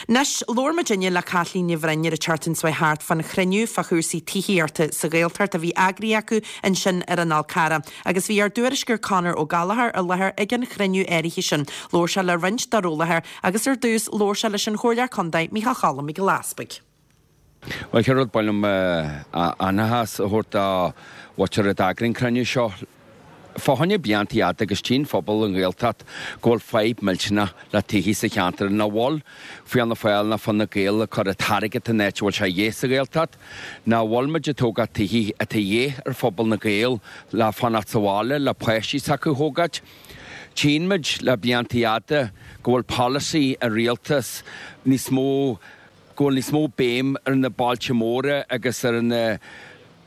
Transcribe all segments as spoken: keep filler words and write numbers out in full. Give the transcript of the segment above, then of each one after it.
Anois, labhair muidinne le Caitlín Ní Bhroin ar an tseachtain seo thart fan chruinniú fá chúrsaí tithíochta sa Ghaeltacht a bhí eagraithe acu ansin ar an Fhál Carrach, agus bhí ár dtuairisceoir Conor Ó Gallchóir i láthair ag an chruinniú áirithe sin. Labhair sé le roinnt dár eolaithe agus ar dtús labhair sé leis an Chomhairleoir Contae Micheál Choilm Mac Giolla Easbuig. Well chéad rud ba mhaith liom an-bhuíochas a thabhairt do mhuintir a d'eagraigh an cruinniú seo. Fá choinne blianta fhada agus tchíonn phobal an Ghaeltacht go bhfuil fadhb millteanach le tithí sa cheantar nach bhfuil Fianna Fáil ná Fine Gael ag cur an t-airgead in áit a bhfuil sé dhíth sa Ghaeltacht, nach bhfuil muid ag tógáil tithí atá dhíth ar phobal na Gael le fanacht sa bhaile le páistí s'acu a thógáil. Tchíonn muid le blianta fhada go bhfuil polasaí an rialtas níos mó go bhfuil níos mó béim ar na bailte móra agus ar na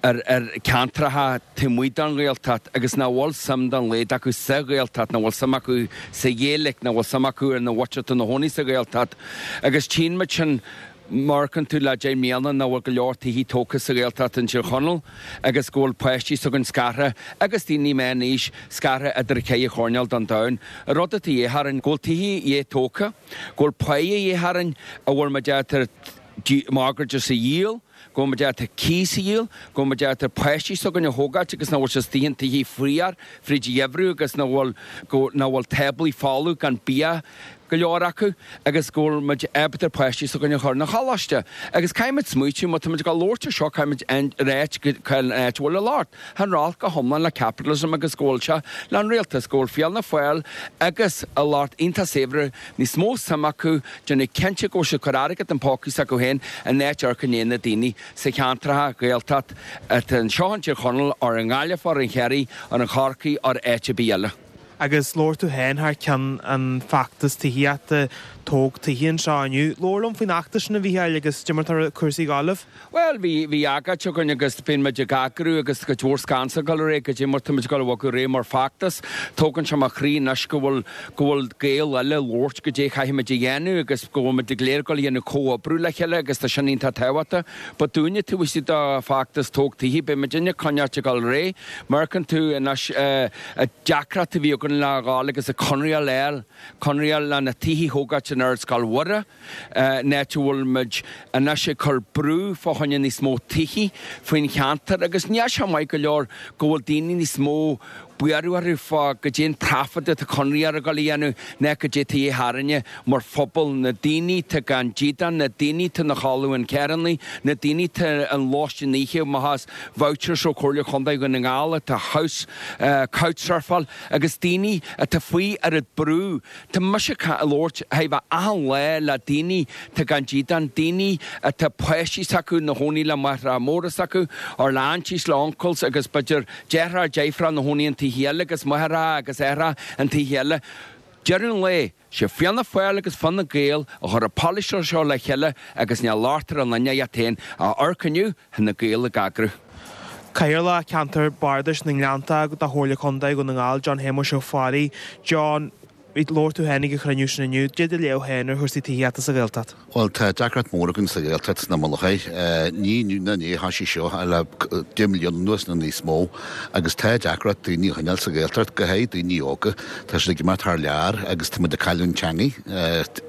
ar ar ceantracha taobh amuigh den Ghaeltacht agus nach bhfuil suim dá laghad acu sa Ghaeltacht, nach bhfuil suim acu sa Ghaeilge, nach bhfuil suim acu ar na mhuintir atá ina chónaí sa Ghaeltacht. Agus tchíonn muid sin mar amharcann tú le deich mbliana nach bhfuil go leor tithí tógtha sa Ghaeltacht in Tír Chonaill agus go bhfuil páistí s'againn scartha agus daoine meánaois scartha idir ceithre choirnéal den domhan. An rud atá dhíth orainn go bhfuil tithí dhíth tógtha, go bhfuil páighe dhíth orainn a bhfuil muid ábalta mortgages a dhíol, go bhfuil muid ábalta cíos a dhíol, go bhfuil muid ábalta páistí s'againn a thógáilt agus nach bhfuil siad istigh in tithí fuar fríd an gheimhreadh agus nach bhfuil go nach bhfuil táblaí folamh gan bia go leor acu agus go bhfuil muid ábalta páistí s'againn a chur 'na choláiste. Agus caithfimid smaoitiú má tá muid ag labhairt ar seo caithfimid ráit cén áit a bhfuil an locht. Tá an locht go hiomlán le capitalism agus go bhfuil sé le an rialtas, go bhfuil Fianna Fáil agus a lucht iontach saibhir níos mó suim acu déanamh cinnte go bhfuil siad cur airgead in pócaí s'acu féin in áit amharc i ndiaidh na daoine sa cheantracha Gaeltacht atá anseo in Tír Chonaill ar an nGaillimh ar an Chiarraí ar an Chorcaí ar áit ar bith eile. Agus labhair tú féin thar ceann an feachtas tithíochta tóg tithe anseo inniu. Labhair liom faoin fheachtas sin a Mhícheáil agus cad é mar atá cúrsaí ag gabháil libh. Well bhí bhí agóid againn agus bíonn muid ag eagrú agus cuid mhór scansa ag dul ar aghaidh go dtí mar tá muid ag dul a bhogadh ar aghaidh mar feachtas. Tógann sé mo chroí anois go bhfuil go bhfuil Gaeil eile labhairt go dté chaithfimid a dhéanamh agus go bhfuil muid ag léir go dhéanamh comhoibriú le chéile agus tá sin iontach tábhachtach. Ba dúinne tú istigh do feachtas tóg tithe beidh muid inne coinneáilt ag dul ar aghaidh. Mar amharcann tú anois deacracht a bhí againn le ghabháil agus a conradh a fháil, conradh le na tithe thógáilt in Ardscoil Mhuire, in áit a bhfuil muid anois ag cur brú fá choinne níos mó tithe faoin cheantar agus níl sé maith go leor go bhfuil daoine níos mó buartha orthu fá go dtéann profit atá conradh ar a gcoil a dhéanamh ná go dté tithe tharainne mar phobal na daoine tá gan dídean, na daoine tá na chodladh in carrannaí, na daoine tá an lóistín oíche má has vouchers ó Chomhairle Chontae Dhún na nGall atá house couchsurfáil agus daoine atá faoi ar an brú Tá mise ag labhairt thaobh achan lá le daoine tá gan dídean, daoine atá páistí s'acu na chónaí le máithreacha móra s'acu, or le aunties le uncles agus b'fhéidir deartháir deirfiúr na chónaí an tithe eile agus máithreacha agus aithreacha an tithe eile. Deireadh an lae, sé Fianna Fáil agus Fine Gael a chur an polasaí seo le chéile agus ní locht ar an duine iad féin a amharc inniu na Gaeil ag eagrú. Cathaoirleach Ceantar Bardais na nGleannta do Chomhairle Contae Dhún na nGall John Shéamuis Ó Fearraigh. John, labhair tú féin ag an chruinniú sin inniu, cad é do léamh féin ar chúrsaí tithíochta sa Ghaeltacht. Well tá deacracht mór againn sa Ghaeltacht sna Mullachaí. Ní inniu ná inné atá sé seo le deich mbliana anuas nó níos mó agus tá deacracht daoine a choinneáil sa Ghaeltacht go háirithe daoine óga. Tá siad ag imeacht thar lear agus tá muid ag cailliúint teangaí.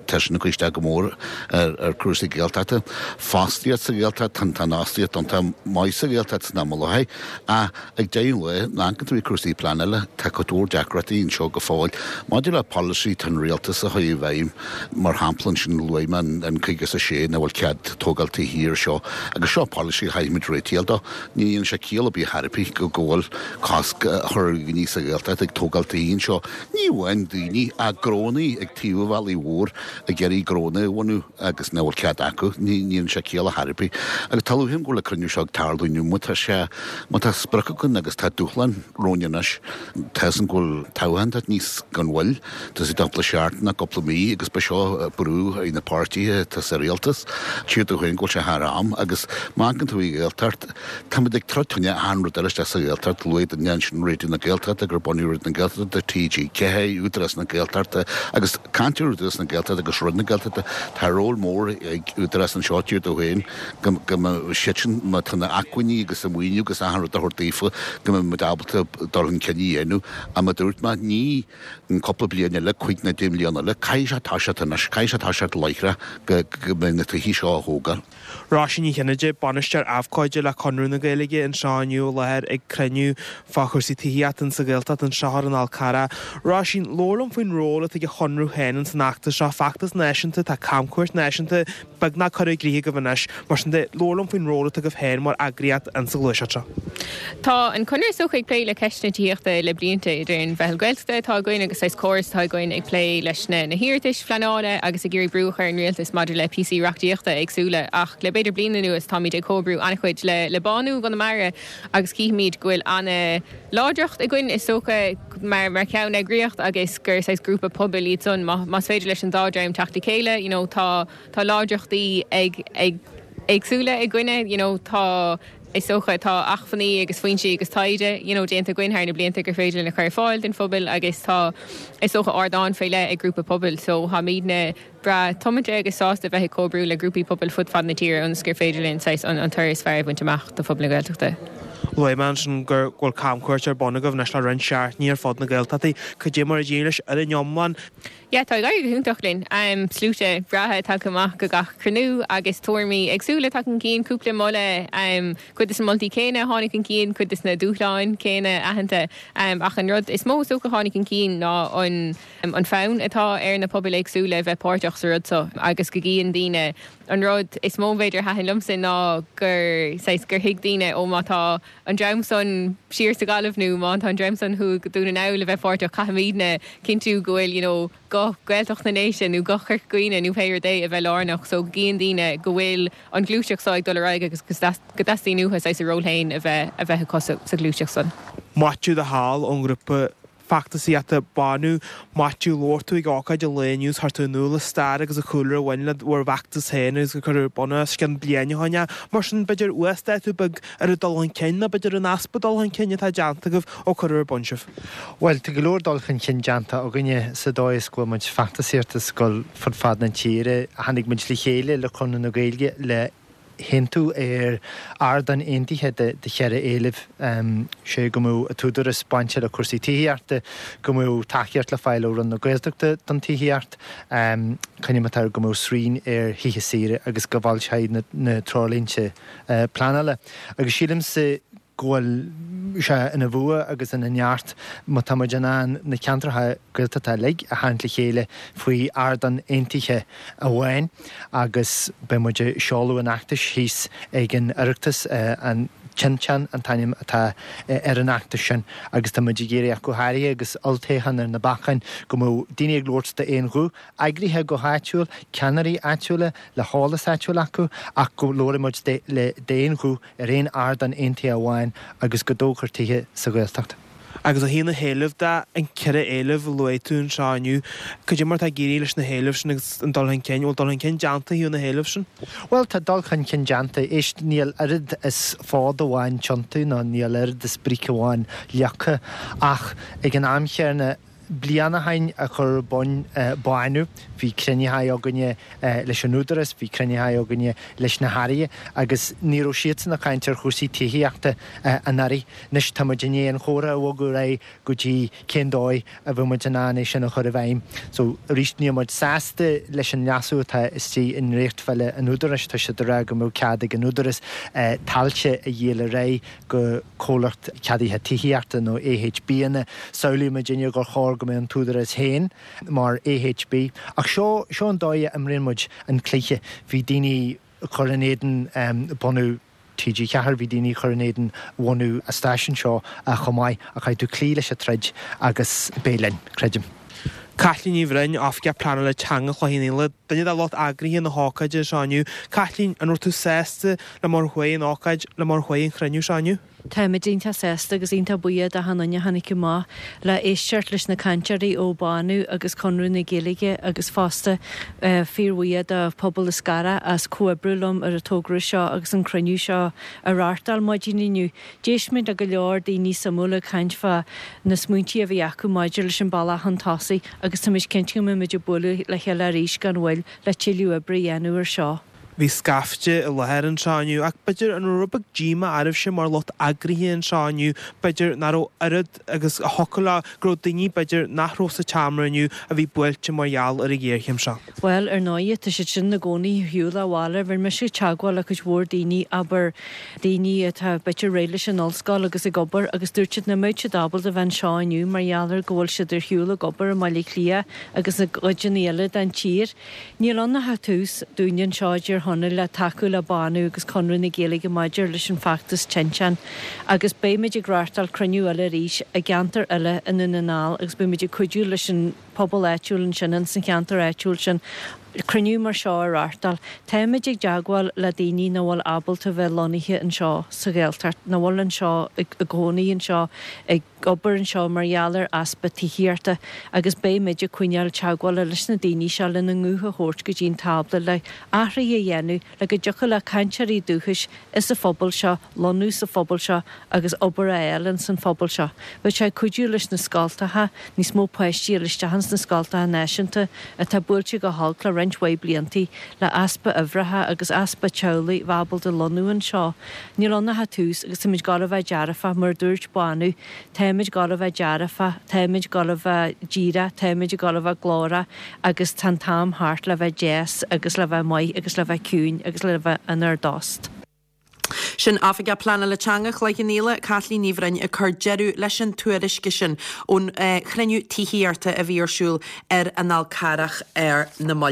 Tá sin ag cur isteach go mór ar ar cúrsaí Gaeltachta. Fostaíocht sa Ghaeltacht tá tá an fhostaíocht iontach maith sa Ghaeltacht sna Mullachaí ach ag deireadh lae ná tú cúrsaí pleanála tá cuid mhór deacrachtaí anseo go fóill. Maidir le polasaí an rialtas a chur i bhfeidhm mar shampla sin luaigh mé an caoga a sé nach bhfuil cead tógáil tithe seo agus seo polasaí chaithfimid réiteach dó. Ní dhéanann sé ciall ar bith ar bith go go bhfuil cosc a chur daoine sa Ghaeltacht ag tógáil tithe anseo. Ní amháin daoine ach gnónnaí ag taobh an bhealaigh mhór ag iarraidh gnónna a bhunú agus nach bhfuil cead acu ní dhéanann sé ciall ar bith. Agus tá luím go le cruinniú seo ag tarlú inniu má tá sé má tá sprioc againn agus tá dúshlán romhainn anois tá an go bhfuil toghchán níos gan bhfuil Tá sé cúpla seachtain ná cúpla mí agus ba seo brú ar na páirtithe tá sa rialtas siad chuin go bhfuil sé thar am agus má amharcann tú i Gaeltacht Táimid ag troid achan rud eile sa Ghaeltacht luaigh duine sin Raidió na Gaeltachta gur bunaíodh Raidió na Gaeltachta TG ceathair Údarás na Gaeltachta agus caint Údarás na Gaeltachta agus agus Roinn na Gaeltachta. Tá ról mór ag Údarás anseo tír dó féin go go mbeidh siadsan má tá na acmhainní agus an maoiniú agus achan rud a thabhairt daofa go mbeidh muid ábalta dul chun cinn a dhéanamh. Ach mar a dúirt mé ní an cúpla bliain eile, cúig nó deich mbliana eile, caithfidh sé toiseacht anois, caithfidh sé toiseacht láithreach go go mbeidh na tithe seo á thógáil. Róisín Ní Chinnéide, Bainisteoir Abhcóide le Conradh na Gaeilge anseo inniu i láthair ag cruinniú fá chúrsaí tithíochta sa Ghaeltacht anseo ar an Fhál Carrach. Róisín, labhair liom faoin ról atá ag an Chonradh féin ins an fheachtas seo, feachtas náisiúnta, tá camchuairt náisiúnta beagnach curtha i gcrích agaibh anois. Mar sin de, labhair liom faoin ról atá agaibh féin mar eagraíocht ins an ghluaiseacht seo. Tá an Conradh is dócha ag plé le ceist na tithíochta le blianta idir an Mheitheal Gaeltachta atá againn agus saghas córas atá againn ag plé leis na na hiarratais phleanála agus ag iarraidh brú a chur ar an rialtas maidir le píosaí reachtaíochta éagsúla ach le b'fhéidir bliain anuas táimid ag comhoibriú an-chuid le le Bánú i gConamara agus cífimid go bhfuil an-láidreacht againn is dócha mar mar cheanneagraíocht agus gur saghas grúpa pobail iad san má más féidir leis an dá dream teacht le chéile you know tá tá láidreachtaí ag ag éagsúla againne you know tá is dócha tá acmhainní agus foinsí agus taighde you know déanta againn thar na blianta gur féidir linn a chur ar fáil don phobal agus tá is dócha ardán faoi leith ag grúpa pobail so táimidne breá tiomanta agus sásta bheith ag comhoibriú le grúpaí pobail fud fad na tíre ionas gur féidir linn saghas an an toradh is fearr a bhaint amach do phobal na Gaeltachta. Luaigh mé ansin gur bhfuil camchuairt ar bun agaibh anois le roinnt seachtainí ar fud na Gaeltachta, cad é mar a d'éirigh leis ar an iomlán. Yeah, tá ag éirí go hiontach linn. Um, sluaite breátha tagtha amach go gach cruinniú agus tuairimí éagsúla tagtha chun cinn cúpla moladh um, cuid de na moltaí céanna tháinig chun cinn cuid de na dúshláin céanna aitheanta um, ach an rud is mó is dócha tháinig chun cinn ná an um, an fonn atá ar na pobail éagsúla bheith páirteach sa rud seo agus go gcíonn daoine an rud is mó b'fhéidir a thaitin liomsa ná gur saghas gur thuig daoine ó má tá an dream san siar sa Ghaillimh nó má tá an dream san thuaidh Dún na nGall le bheith páirteach caithfimidne cinntiú go bhfuil you know, guth Gaeltacht na nDéise nó guth Chorca Dhuibhne nó pé rud é a bheith lárnach so gcíonn daoine go bhfuil an ghluaiseacht seo ag dul ar aghaidh agus go dteastaíonn uathu saghas a ról féin a bheith a bheith acu sa ghluaiseacht san. Maitiú de Hál ón ngrúpa feachtasaíochta Bánú Maitiú labhair tú ag ócáid an lae inniu chuir tú in iúl an stair agus an cúlra a bhain le bhur bhfeachtas féin agus gur cuireadh bun os cionn bliain ó shin é. Mar sin b'fhéidir uasdátú beag ar an dul chun cinn nó b'fhéidir an easpa dul chun cinn atá déanta agaibh ó cuireadh ar bun sibh. Bhuel, tá go leor dul chun cinn déanta againne sa dóigh is go bhfuil muid feachtasaíocht ag dul fud fad na tíre, tháinig muid le chéile le Conradh na Gaeilge le haontú ar ardán aontaithe de de cheithre éileamh sé go mbeadh an t-údarás bainte le cúrsaí tithíochta, go mbeadh tacaíocht le fáil ó Roinn na Gaeltachta don tithíocht, coinníollacha go mbeadh srian ar thithe saoire agus go bhfoilseofaí na na treoirlínte pleanála. Agus sílimse go bhfuil sé ina bhua agus ina neart má tá muid in ann na ceantracha Gaeltachta uilig a tharraingt le chéile faoi ardán aontaithe amháin agus beidh muid ag seoladh an fheachtais thíos ag an Oireachtas, an Tinteán an t-ainm atá ar an fheachtas sin agus tá muid ag iarraidh ach go háirithe agus olltoghchán ar na bacáin go mbeadh daoine ag labhairt d'aon ghuth, eagraithe go háitiúil, ceannairí áitiúla le heolas áitiúil acu ach go labhróidh muid le d'aon ghuth ar aon ardán aontaithe amháin agus go dtógfar tithe sa Ghaeltacht. Agus ó thaobh na héileamh de, an ceithre éileamh a luaigh tú anseo inniu, cad é mar atá ag éirí leis na héilimh sin agus an dul chun cinn, bhfuil dul chun cinn déanta ó thaobh na héileamh sin? Bhuel, tá dul chun cinn déanta. Éist, níl oiread is fód amháin tiontaithe nó níl oiread is bric amháin leagtha ach ag an am chéanna, bliain ó shin a cuireadh ar bun Bánú, bhí cruinnithe againne leis an Údarás, bhí cruinnithe againne leis na hairí agus ní raibh siadsan ag caint ar chúrsaí tithíochta anuraidh. Anois tá muid i ndiaidh an chomhrá a bhogadh ar aghaidh go dtí cén dóigh a bheidh muid in ann é sin a chur i bhfeidhm. So arís níl muid sásta leis an leasú atá istigh i ndréachtbhille an Údaráis, tá siad ag rá go mbeadh cead ag an Údarás tailte a dhíol ar aghaidh go comhlacht ceadaithe tithíochta nó AHBanna. Samhlaíonn muidinne gur chóir go mbeadh an t-údarás féin mar AHB. Ach seo seo an dóigh a imríonn muid an cluiche. Bhí daoine ag cur in éadan bunú TG Ceathair, bhí daoine ag cur in éadan bhunú an stáisiúin seo chomh maith. Ach caithfidh tú cloí leis an troid agus beidh linn, creidim. Caitlín Ní Bhroin, Oifigeach Pleanála Teanga Chloich Cheann Fhaola, duine de lucht eagraithe na hócáide seo inniu. Caitlín, an raibh tú sásta le mar a chuaigh an ócáid, le mar a chuaigh an chruinniú seo inniu? Táimid iontach sásta agus iontach buíoch d'achan duine a tháinig amach le éisteacht leis na cainteoirí ó Bánú agus Conradh na Gaeilge agus fosta fíorbhuíoch do phobal Lios Carrach as comhoibriú liom ar an togra seo agus an cruinniú seo a reáchtáil maidin inniu. D'éist muid le go leor daoine suimiúla ag caint fá na smaointí a bhí acu maidir leis an bealach chun tosaigh agus táimid cinnte go mbeimid ag bualadh le chéile arís gan mhoill le tuilleadh oibre a dhéanamh ar seo. Bhí scaifte i láthair anseo inniu ach b'fhéidir an raibh rud beag díomá oraibhse mar lucht eagraithe anseo inniu, b'fhéidir nach raibh oiread agus a thiocfadh leo, go raibh daoine b'fhéidir nach raibh sa tseomra inniu a bhí buailte mar gheall ar an ghéarchéim seo. Bhuel, ar ndóighe, tá siad sin ina gcónaí ar shiúl abhaile. Rinne mise teagmháil le cuid mhór daoine, abair, daoine atá b'fhéidir réidh leis an ollscoil agus ag obair agus dúirt siad nach mbeadh siad ábalta bheith anseo inniu mar gheall ar go bhfuil siad ar shiúl ag obair i mBaile Átha Cliath agus i gcuideanna eile den tír. Níl ann ach tús dúinne anseo i dTír Chonaill le tacú le Bánú agus Conradh na Gaeilge maidir leis an bhfeachtas tinteán agus beimid ag reáchtáil cruinniú eile arís i gceantar eile i nDún na nGall agus beimid ag cuidiú leis an pobal áitiúil ansin ins an cheantar áitiúil sin cruinniú mar seo a reáchtáil. Táimid ag teagmháil le daoine nach bhfuil ábalta bheith lonnaithe anseo sa Ghaeltacht, nach bhfuil anseo i gcónaí anseo, ag obair anseo mar gheall ar easpa tithíochta agus beimid ag coinneáil teagmhála leis na daoine seo lena nguth a thabhairt go dtí an tábla le athruithe a dhéanamh le go dtiocfadh le cainteoirí dúchais sa phobal seo lonnú sa phobal seo agus obair a fháil ins an phobal seo. Bheadh sé ag cuidiú leis na scoltacha, níos mó páistí a fháil isteach ins na scoltacha náisiúnta atá buailte go holc le roinnt mhaith bliantaí le easpa uimhreacha agus easpa teaghlaigh bheith ábalta lonnú anseo. Níl ann ach tús agus táimid ag gabháil a bheith dearfach, mar a dúirt Bánú, táimid ag gabháil a bheith dearfach, táimid ag gabháil a bheith díreach, táimid ag gabháil a bheith glórach agus tá an t-am thart le bheith deas agus le bheith maith agus le bheith ciúin agus le bheith inár dtost. Sin Oifigeach Pleanála Teanga Chloich Cheann Fhaola, Caitlín Ní Bhroin ag cur deireadh leis an tuairisc sin ón chruinniú tithíochta a bhí ar siúl ar an Fhál Carrach ar na mallaibh.